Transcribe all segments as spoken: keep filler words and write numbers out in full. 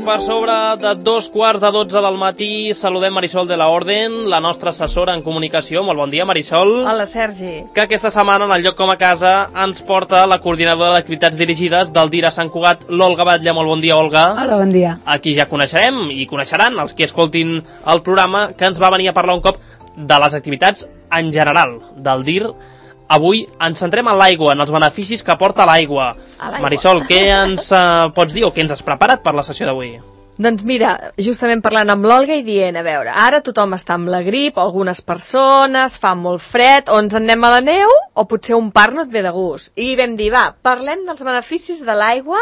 per sobre de dos quarts de dotze del matí. Saludem Marisol de la Orden, la nostra assessora en comunicació. Molt bon dia, Marisol. Hola, Sergi. Que aquesta setmana, en el lloc com a casa, ens porta la coordinadora d'activitats dirigides del D I R a Sant Cugat, l'Olga Batlle. Molt bon dia, Olga. Hola, bon dia. Aquí ja coneixerem i coneixeran els qui escoltin el programa, que ens va venir a parlar un cop de les activitats en general del D I R. Avui ens centrem en l'aigua, en els beneficis que porta l'aigua. Marisol, què ens uh, pots dir o què ens has preparat per la sessió d'avui? Doncs mira, justament parlant amb l'Olga i dient, a veure, ara tothom està amb la grip, algunes persones, fa molt fred, o ens en anem a la neu, o potser un parc no et ve de gust. I vam dir, va, parlem dels beneficis de l'aigua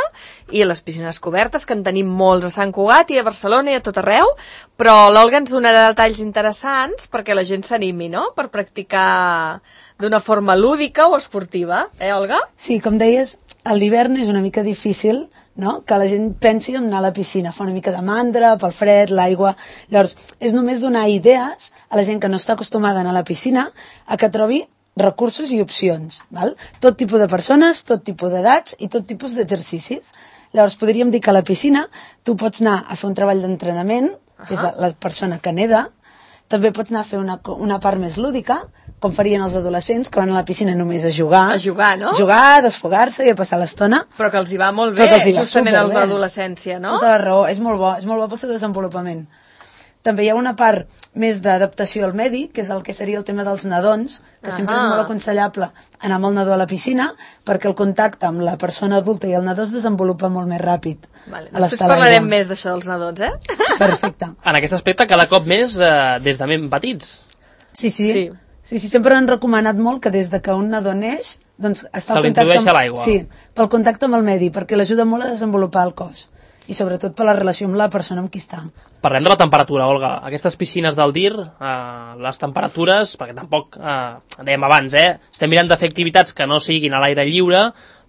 i les piscines cobertes, que en tenim molts a Sant Cugat i a Barcelona i a tot arreu, però l'Olga ens donarà detalls interessants perquè la gent s'animi, no?, per practicar d'una forma lúdica o esportiva, eh, Olga? Sí, com deies, a l'hivern és una mica difícil, no?, que la gent pensi en anar a la piscina, fa una mica de mandra pel fred, l'aigua. Llavors, és només donar idees a la gent que no està acostumada a anar a la piscina a que trobi recursos i opcions, val? Tot tipus de persones, tot tipus d'edats i tot tipus d'exercicis. Llavors, podríem dir que a la piscina tu pots anar a fer un treball d'entrenament, que és la persona que neda, també pots anar a fer una, una part més lúdica, com farien els adolescents, que van a la piscina només a jugar. A jugar, no? A jugar, a desfogar-se i a passar l'estona. Però que els hi va molt bé, justament el d'adolescència, no? Tota la raó, és molt bo, és molt bo pel seu desenvolupament. També hi ha una part més d'adaptació al medi, que és el que seria el tema dels nadons, que uh-huh. sempre és molt aconsellable anar amb el nadó a la piscina, perquè el contacte amb la persona adulta i el nadó es desenvolupa molt més ràpid. Vale. Després parlarem més d'això dels nadons, eh? Perfecte. En aquest aspecte, cada cop més eh, des de ben petits. Sí, sí. Sí. Sí, sí, sempre han recomanat molt que des de que un nadó neix, doncs està se l'introdueix a l'aigua. Sí, pel contacte amb el medi, perquè l'ajuda molt a desenvolupar el cos. I sobretot per la relació amb la persona amb qui està. Parlem de la temperatura, Olga. Aquestes piscines del D I R, eh, les temperatures, perquè tampoc, eh, dèiem abans, eh, estem mirant de fer activitats que no siguin a l'aire lliure,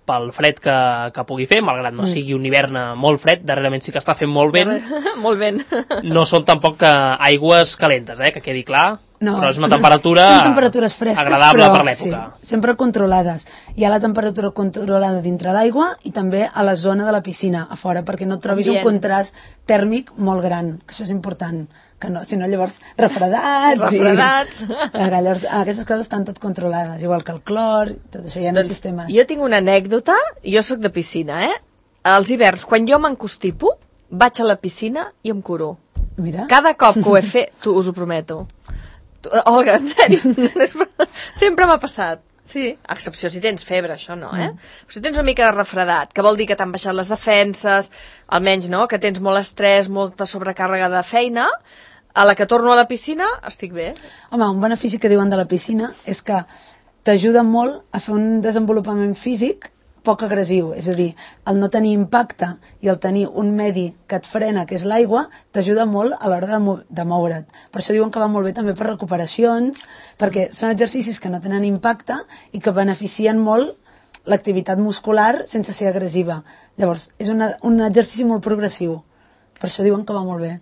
pel fred que, que pugui fer, malgrat no mm. sigui un hivern molt fred, darrerament sí que està fent molt vent. Molt vent. No són tampoc eh, aigües calentes, eh, que quedi clar. No, però és una temperatura són temperatures fresques, agradable però, per l'època. Sí, sempre controlades. Hi ha la temperatura controlada dintre l'aigua i també a la zona de la piscina, a fora, perquè no et trobis Ambient. un contrast tèrmic molt gran, que això és important, que no, si no llavors refredats. Refredats. I, llavors, aquestes coses estan tot controlades, igual que el clor, tot això hi ha doncs, sistemes. Jo tinc una anècdota, jo sóc de piscina, eh? Als hiverns, quan jo m'encostipo, vaig a la piscina i em curo. Mira. Cada cop que ho he fet, tu, us ho prometo. Olga, en sèrio, sempre m'ha passat. Sí, a excepció si tens febre, això no, eh? Mm. Si tens una mica de refredat, que vol dir que t'han baixat les defenses, almenys, no?, que tens molt estrès, molta sobrecàrrega de feina, a la que torno a la piscina, estic bé. Home, un benefici que diuen de la piscina és que t'ajuda molt a fer un desenvolupament físic poc agressiu, és a dir, el no tenir impacte i el tenir un medi que et frena, que és l'aigua, t'ajuda molt a l'hora de, mo de moure't. Per això diuen que va molt bé també per recuperacions, perquè són exercicis que no tenen impacte i que beneficien molt l'activitat muscular sense ser agressiva. Llavors, és una, un exercici molt progressiu. Per això diuen que va molt bé.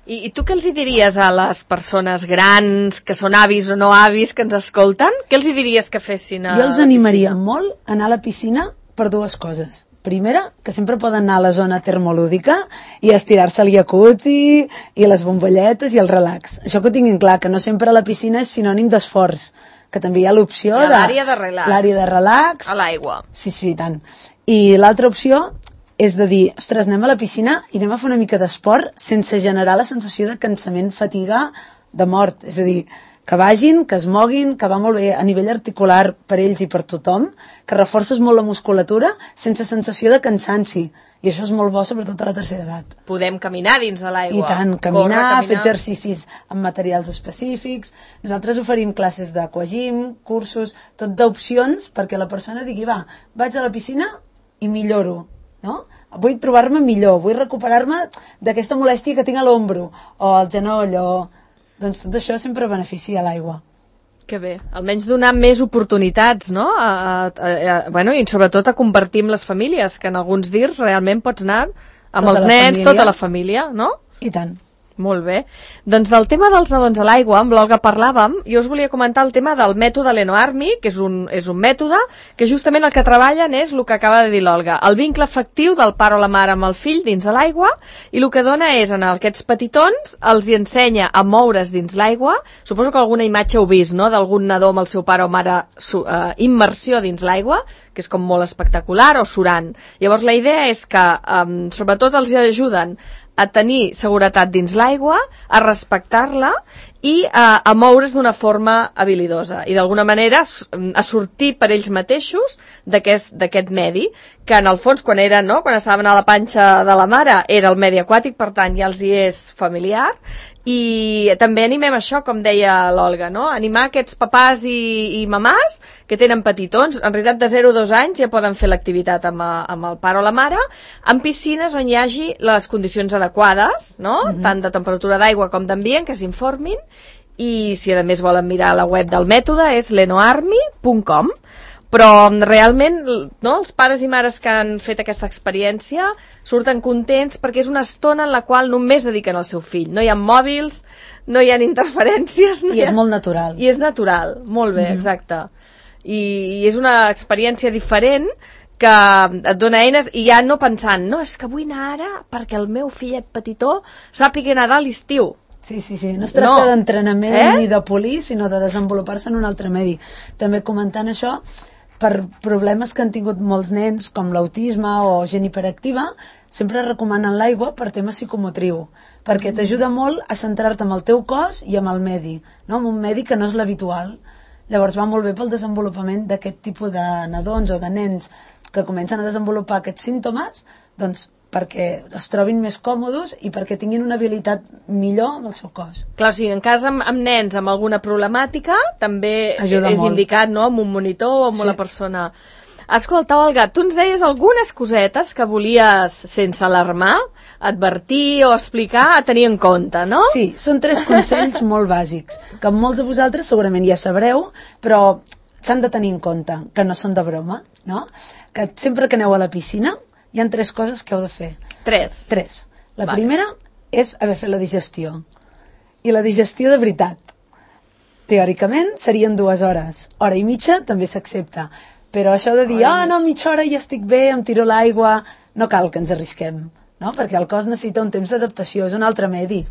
I, I tu què els hi diries a les persones grans, que són avis o no avis, que ens escolten? Què els hi diries que fessin a Jo els animaria molt a anar a la piscina per dues coses. Primera, que sempre poden anar a la zona termolúdica i estirar-se al jacuzzi i les bombolletes i el relax. Això que ho tinguin clar, que no sempre la piscina és sinònim d'esforç, que també hi ha l'opció de... L'àrea de relax. L'àrea de relax. A l'aigua. Sí, sí, tant. I l'altra opció és de dir, ostres, anem a la piscina i anem a fer una mica d'esport sense generar la sensació de cansament, fatiga, de mort. És a dir, que vagin, que es moguin, que va molt bé a nivell articular per ells i per tothom, que reforces molt la musculatura sense sensació de cansanci. I això és molt bo, sobretot a la tercera edat. Podem caminar dins de l'aigua. I tant, caminar, Corre, caminar, fer exercicis amb materials específics. Nosaltres oferim classes d'aquagym, cursos, tot d'opcions perquè la persona digui, va, vaig a la piscina i milloro, no? Vull trobar-me millor, vull recuperar-me d'aquesta molèstia que tinc a l'ombro, o al genoll, o... Doncs tot això sempre beneficia l'aigua. Que bé, almenys donar més oportunitats, no? A, a, a, bueno, i sobretot a compartir amb les famílies, que en alguns D I Rs realment pots anar amb tota els nens, família. Tota la família, no? I tant. Molt bé. Doncs del tema dels nadons a l'aigua, amb l'Olga parlàvem, jo us volia comentar el tema del mètode Lenoarmy, que és un, és un mètode que justament el que treballen és el que acaba de dir l'Olga, el vincle afectiu del pare o la mare amb el fill dins de l'aigua, i el que dona és, en aquests petitons, els hi ensenya a moure's dins l'aigua. Suposo que alguna imatge heu vist, no?, d'algun nadó amb el seu pare o mare su, eh, immersió dins l'aigua, que és com molt espectacular, o surant. Llavors la idea és que, eh, sobretot els ajuden a tenir seguretat dins l'aigua, a respectar-la i a, a moure's d'una forma habilidosa i d'alguna manera a sortir per ells mateixos d'aquest medi, que en el fons quan eren, no?, quan estaven a la panxa de la mare era el medi aquàtic, per tant ja els hi és familiar. I també animem això, com deia l'Olga, no?, animar aquests papàs i, i mamàs que tenen petitons, en realitat de zero a dos anys ja poden fer l'activitat amb, amb el pare o la mare, en piscines on hi hagi les condicions adequades, no?, mm-hmm. tant de temperatura d'aigua com d'ambient, que s'informin, i si a més volen mirar la web del mètode és lenoarmy punt com. Però realment, no, els pares i mares que han fet aquesta experiència surten contents perquè és una estona en la qual només dediquen al seu fill. No hi ha mòbils, no hi ha interferències. No I hi ha... és molt natural. I és natural, molt bé, mm-hmm. exacte. I, I és una experiència diferent que et dona eines i ja no pensant, no, és que vull anar ara perquè el meu fillet petitó sàpiga nedar a l'estiu. Sí, sí, sí. No es tracta no. d'entrenament eh? ni de polir, sinó de desenvolupar-se en un altre medi. També comentant això, per problemes que han tingut molts nens, com l'autisme o gent hiperactiva, sempre recomanen l'aigua per tema psicomotriu, perquè t'ajuda molt a centrar-te amb el teu cos i amb el medi, no? En un medi que no és l'habitual. Llavors va molt bé pel desenvolupament d'aquest tipus de nadons o de nens que comencen a desenvolupar aquests símptomes, doncs perquè es trobin més còmodes i perquè tinguin una habilitat millor amb el seu cos. Clar, o sigui, en cas amb, amb nens amb alguna problemàtica, també ajuda és molt. Indicat, no?, amb un monitor o amb sí. una persona. Escolta, Olga, tu ens deies algunes cosetes que volies, sense alarmar, advertir o explicar, a tenir en compte, no? Sí, són tres consells molt bàsics, que molts de vosaltres segurament ja sabreu, però s'han de tenir en compte, que no són de broma, no? Que sempre que aneu a la piscina hi ha tres coses que heu de fer. Tres? Tres. La vale. primera és haver fet la digestió. I la digestió de veritat. Teòricament serien dues hores. Hora i mitja també s'accepta. Però això de dir, ah, oh, no, mitja hora ja estic bé, em tiro l'aigua, no cal que ens arrisquem, no? Perquè el cos necessita un temps d'adaptació, és un altre medi.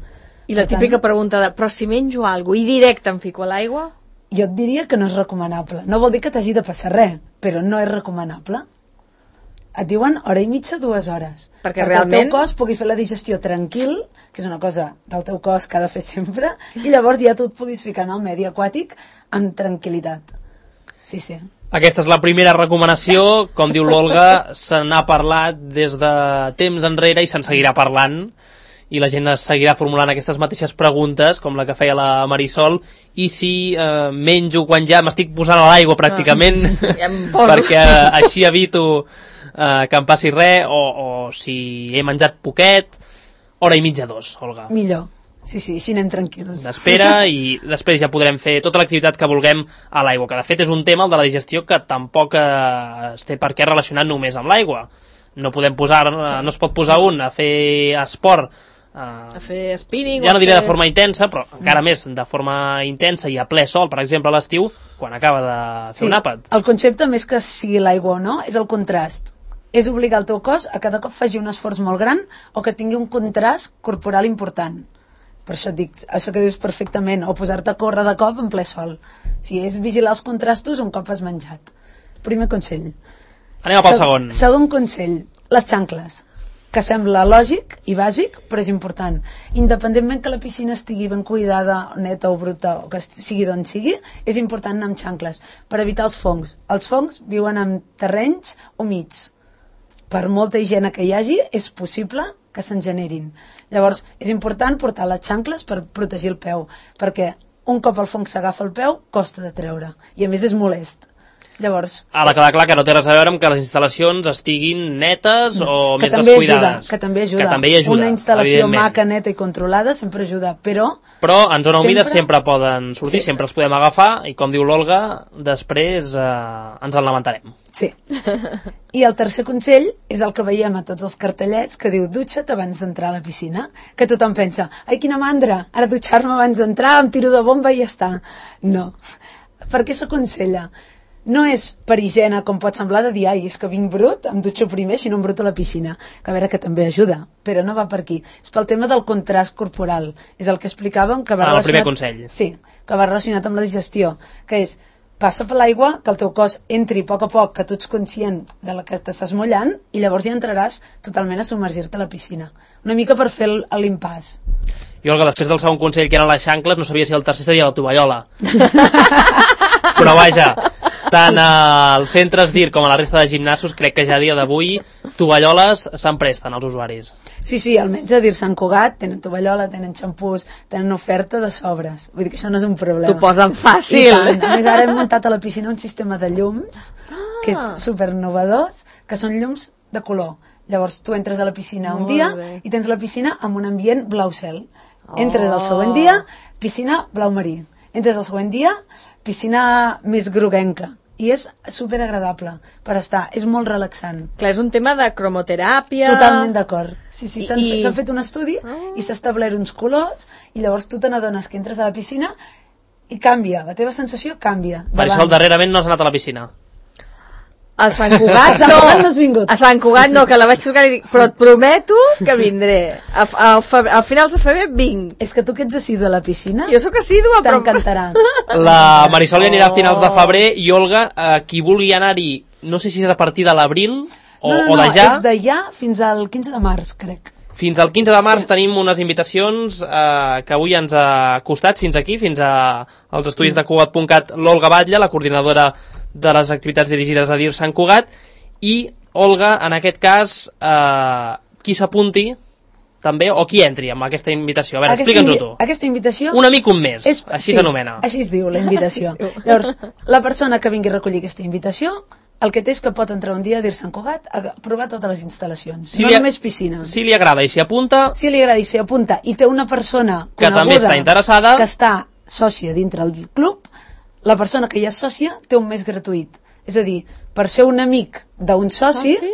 I la per típica tant, pregunta de, però si menjo alguna cosa i directe em fico a l'aigua? Jo et diria que no és recomanable. No vol dir que t'hagi de passar res, però no és recomanable. Et diuen hora i mitja, dues hores. Perquè, perquè realment... el teu cos pugui fer la digestió tranquil, que és una cosa del teu cos que ha de fer sempre, i llavors ja tu et puguis ficar en el medi aquàtic amb tranquil·litat. Sí, sí. Aquesta és la primera recomanació. Com diu l'Olga, se n'ha parlat des de temps enrere i se'n seguirà parlant. I la gent seguirà formulant aquestes mateixes preguntes, com la que feia la Marisol, i si eh, menjo quan ja m'estic posant a l'aigua pràcticament, ah, ja perquè eh, així evito eh, que em passi res, o, o si he menjat poquet, hora i mitja, dos, Olga. Millor, sí, sí, així anem tranquils. D'espera, i després ja podrem fer tota l'activitat que vulguem a l'aigua, que de fet és un tema, el de la digestió, que tampoc eh, es té per què relacionar només amb l'aigua. No podem posar, no es pot posar un a fer esport, Uh, a fer spinning, ja no diré fer... de forma intensa, però encara mm. més de forma intensa i a ple sol, per exemple a l'estiu, quan acaba de fer sí, un àpat. El concepte, més que sigui l'aigua o no, és el contrast. És obligar el teu cos a cada cop faci un esforç molt gran o que tingui un contrast corporal important. Per això et dic, això que dius perfectament, o posar-te a córrer de cop en ple sol. O sigui, és vigilar els contrastos un cop has menjat. Primer consell. Anem pel Se segon. Segon consell, les xancles, que sembla lògic i bàsic, però és important. Independentment que la piscina estigui ben cuidada, neta o bruta, o que sigui d'on sigui, és important anar amb xancles, per evitar els fongs. Els fongs viuen en terrenys humits. Per molta higiene que hi hagi, és possible que se'n generin. Llavors, és important portar les xancles per protegir el peu, perquè un cop el fong s'agafa el peu, costa de treure, i a més és molest. Llavors, ha de quedar clar que no té res a veure amb que les instal·lacions estiguin netes o que més també descuidades. Ajuda, que també ajuda. Que també ajuda. Una instal·lació maca, neta i controlada sempre ajuda, però... Però en zona sempre... humida sempre poden sortir, sí. sempre els podem agafar i, com diu l'Olga, després eh, ens en lamentarem. Sí. I el tercer consell és el que veiem a tots els cartellets que diu dutxa't abans d'entrar a la piscina, que tothom pensa, ai, quina mandra, ara dutxar-me abans d'entrar, em tiro de bomba i ja està. No. Per què s'aconsella? No és per higiene, com pot semblar, de dir, ai, és que vinc brut, em dutxo primer, si no em bruto a la piscina. Que a veure, que també ajuda, però no va per aquí. És pel tema del contrast corporal. És el que explicàvem que va ah, relacionat... el primer consell. Sí, que va relacionat amb la digestió, que és passa per l'aigua, que el teu cos entri a poc a poc, que tu ets conscient de la que t'estàs mullant, i llavors ja entraràs totalment a submergir-te a la piscina. Una mica per fer l'impàs. I Olga, després del segon consell, que eren les xancles, no sabia si el tercer seria la tovallola. Però vaja, tant als centres d'I R com a la resta de gimnasos, crec que ja a dia d'avui tovalloles se'n presten als usuaris. Sí, sí, almenys a dir Sant Cugat tenen tovallola, tenen xampús, tenen oferta de sobres. Vull dir que això no és un problema. T'ho posen fàcil. I tant. A més, ara hem muntat a la piscina un sistema de llums, que és supernovador, que són llums de color. Llavors tu entres a la piscina un Molt dia bé. i tens la piscina amb un ambient blau cel. Entres el següent dia, piscina blau marí. Entres el següent dia, piscina més groguenca. I és superagradable per estar, és molt relaxant. Clar, és un tema de cromoteràpia... Totalment d'acord. Sí, sí, s'han I- fet, fet un estudi Oh. i s'ha establert uns colors i llavors tu te n'adones que entres a la piscina i canvia, la teva sensació canvia. Marisol, darrerament no has anat a la piscina. A Sant Cugat A Sant no. Cugat no has vingut. A Sant Cugat no, que la vaig trucar i dic, però et prometo que vindré. A, a, febrer, a finals de febrer vinc. És que tu que ets assidu a la piscina, Jo sóc assídua, però... t'encantarà. La Marisol hi anirà a finals de febrer i Olga, eh, qui vulgui anar-hi, no sé si és a partir de l'abril o, no, no, o de no, ja, és de ja fins al quinze de març, crec. fins al quinze de març Sí. tenim unes invitacions eh, que avui ens ha costat fins aquí, fins a, als estudis de Cugat punt cat, l'Olga Batlle, la coordinadora de les activitats dirigides a D I R Sant Cugat, i Olga, en aquest cas, eh, qui s'apunti també, o qui entri amb aquesta invitació. A veure, explica'ns-ho tu. Aquesta invitació... Un amic un mes, és, així sí, s'anomena. Així es diu, la invitació. Llavors, la persona que vingui a recollir aquesta invitació, el que té és que pot entrar un dia a dir Sant Cugat a provar totes les instal·lacions, Si no li, només piscina. si li agrada i s'hi apunta, Si li agrada i s'hi apunta i té una persona que coneguda també està interessada, que està sòcia dintre del club, la persona que ja és sòcia té un mes gratuït. És a dir, per ser un amic d'un soci, Ah, sí?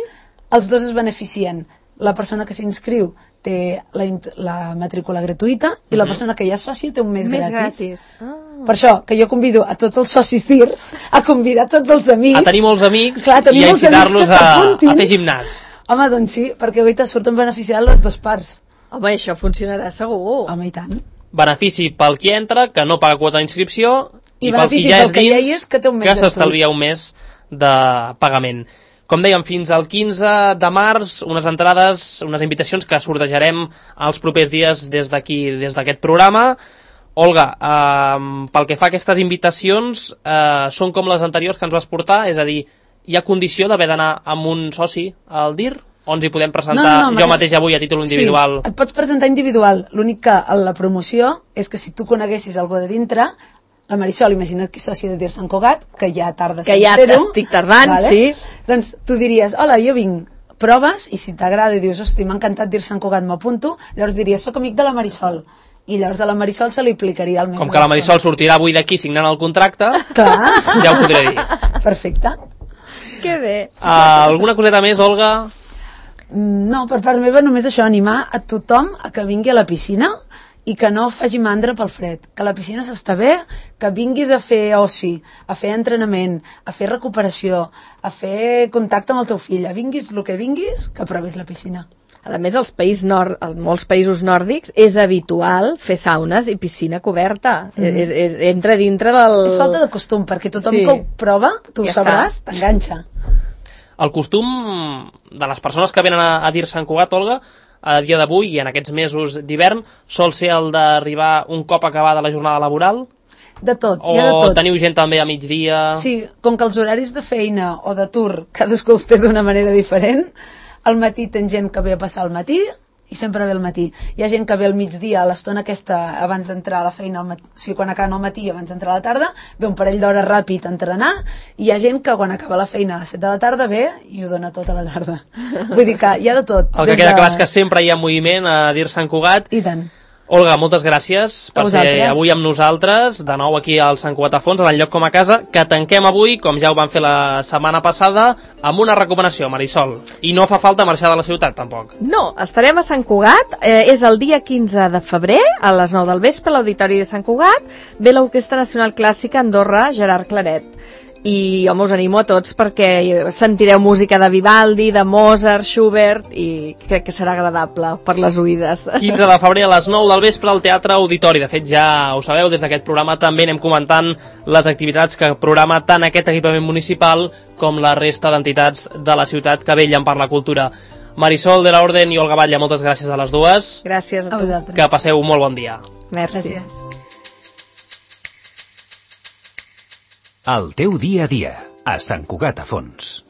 els dos es beneficien. La persona que s'inscriu té la, int- la matrícula gratuïta i la persona que ja és sòcia té un mes, Més gratis. gratis. Ah. Per això, que jo convido a tots els socis d'I R a convidar tots els amics. a tenir molts amics Clar, tenir i a molts amics que incitar-los a, s'apuntin. a fer gimnàs. Home, doncs sí, perquè avui te surten beneficiant les dues parts. Home, això funcionarà segur. Home, i tant. Benefici pel qui entra, que no paga quota d'inscripció, I i pel qui benefici ja pel és que ja dins, hi és, que té un mes que gratuït. s'estalvia un mes de pagament. Com dèiem, fins al quinze de març, unes entrades, unes invitacions que sortejarem els propers dies des d'aquí, des d'aquest programa. Olga, eh, pel que fa a aquestes invitacions, eh, són com les anteriors que ens vas portar, és a dir, hi ha condició d'haver d'anar amb un soci al D I R? O ens hi podem presentar jo mateix avui a títol individual? Sí, et pots presentar individual. L'únic que a la promoció és que si tu coneguessis algú de dintre, la Marisol, imagina't que és sòcia de D I R Sant Cugat, que ja tarda Que ja ser-ho, t'estic tardant, sí. Doncs tu diries, hola, jo vinc, proves, i si t'agrada i dius, hosti, m'ha encantat D I R Sant Cugat, m'apunto, llavors diries, soc amic de la Marisol. I llavors a la Marisol se li aplicaria el mes Com de que la descompte. Marisol sortirà avui d'aquí signant el contracte, Clar. ja ho podré dir. Perfecte. Que bé. Uh, alguna coseta més, Olga? Mm, No, per part meva només això, animar a tothom a que vingui a la piscina i que no faci mandra pel fred, que la piscina s'està bé, que vinguis a fer oci, a fer entrenament, a fer recuperació, a fer contacte amb el teu fill, a vinguis el que vinguis, que provis la piscina. A més, als països nord, en molts països nòrdics és habitual fer saunes i piscina coberta. Mm. És, és, entra dintre del... És falta de costum, perquè tothom Sí. que ho prova, tu Ja ho sabràs, t'enganxa. El costum de les persones que venen a, a D I R Sant Cugat, Olga, a dia d'avui i en aquests mesos d'hivern, sol ser el d'arribar un cop acabada la jornada laboral? De tot, O hi ha de tot. teniu gent també a migdia? Sí, com que els horaris de feina o d'atur cadascú els té d'una manera diferent, al matí tens gent que ve a passar al matí i sempre ve al matí. Hi ha gent que ve al migdia, a l'estona aquesta abans d'entrar a la feina, al matí, o sigui, quan acaba al matí abans d'entrar a la tarda, ve un parell d'hores ràpid a entrenar, i hi ha gent que quan acaba la feina a les set de la tarda ve i ho dona tota la tarda. Vull dir que hi ha de tot. El que des queda de... clar és que sempre hi ha moviment a D I R Sant Cugat. I tant. Olga, moltes gràcies per ser avui amb nosaltres, de nou aquí al Sant Cugat a Fons, a l'enlloc com a casa, que tanquem avui, com ja ho vam fer la setmana passada, amb una recomanació, Marisol. I no fa falta marxar de la ciutat, tampoc. No, estarem a Sant Cugat, eh, és el dia quinze de febrer, a les nou del vespre, a l'Auditori de Sant Cugat, ve l'Orquestra Nacional Clàssica Andorra Gerard Claret. I home, us animo a tots perquè sentireu música de Vivaldi, de Mozart, Schubert, i crec que serà agradable per les oïdes. quinze de febrer a les nou del vespre al Teatre Auditori. De fet, ja ho sabeu, des d'aquest programa també anem comentant les activitats que programa tant aquest equipament municipal com la resta d'entitats de la ciutat que vetllen per la cultura. Marisol de la Orden i Olga Batlle, moltes gràcies a les dues. Gràcies a, a vosaltres. Que passeu un molt bon dia. Merci. Gràcies. El teu dia a dia, a Sant Cugat a Fons.